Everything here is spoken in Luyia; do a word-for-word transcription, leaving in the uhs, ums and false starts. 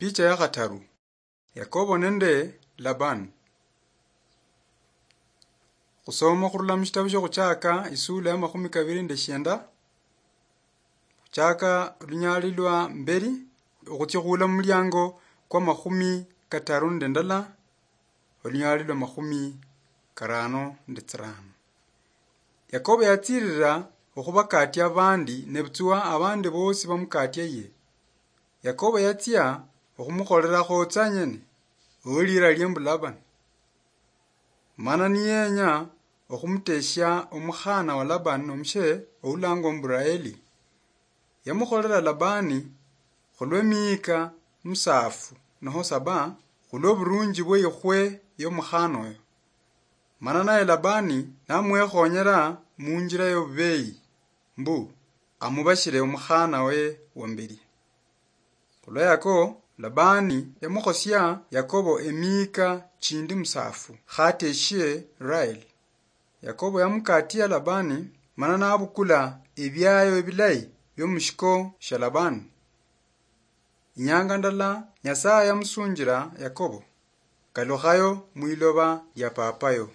Picha ya khataru. Yakobo nende Labani. Khusoma khurula mushitabu shioKhuchaka, isula ya makhumi kabiri nende shienda. Khuchaka olunyali lwa mberi, okhutsia khuula mumuliango kwa makhumi kataru nende ndala, olunyali lwa makhumi karano nende tsirano. Yakobo yatsirira okhubakatia abandi, nebutswa abandi bosi bamukatiaye. Yakobo yatsia okhumukholerakho tsanyene, owelira lie mbu Labani. Mana niyenya okhumuteshia omukhana wa Labani nomushe oulangwa mbu Raeli. Yamukholera Labani khulwemiyika musaafu noho saba, khulwoburunji bweikhwe yomukhana oyo. Mana naye Labani namwekhonyera munjira yobubeyi, mbu amubashire omukhana we wamberi. Khulwa yako, Labani yamukhosia Yakobo emiyika chindi musaafu, khateshie Raeli. Yakobo yamukatia Labani, mana nabukula ebiayo ebilayi biomushiko shia Labani. Inyanga ndala, Nyasaye yamusunjira Yakobo, "Kalukhayo mwiloba lia papayo."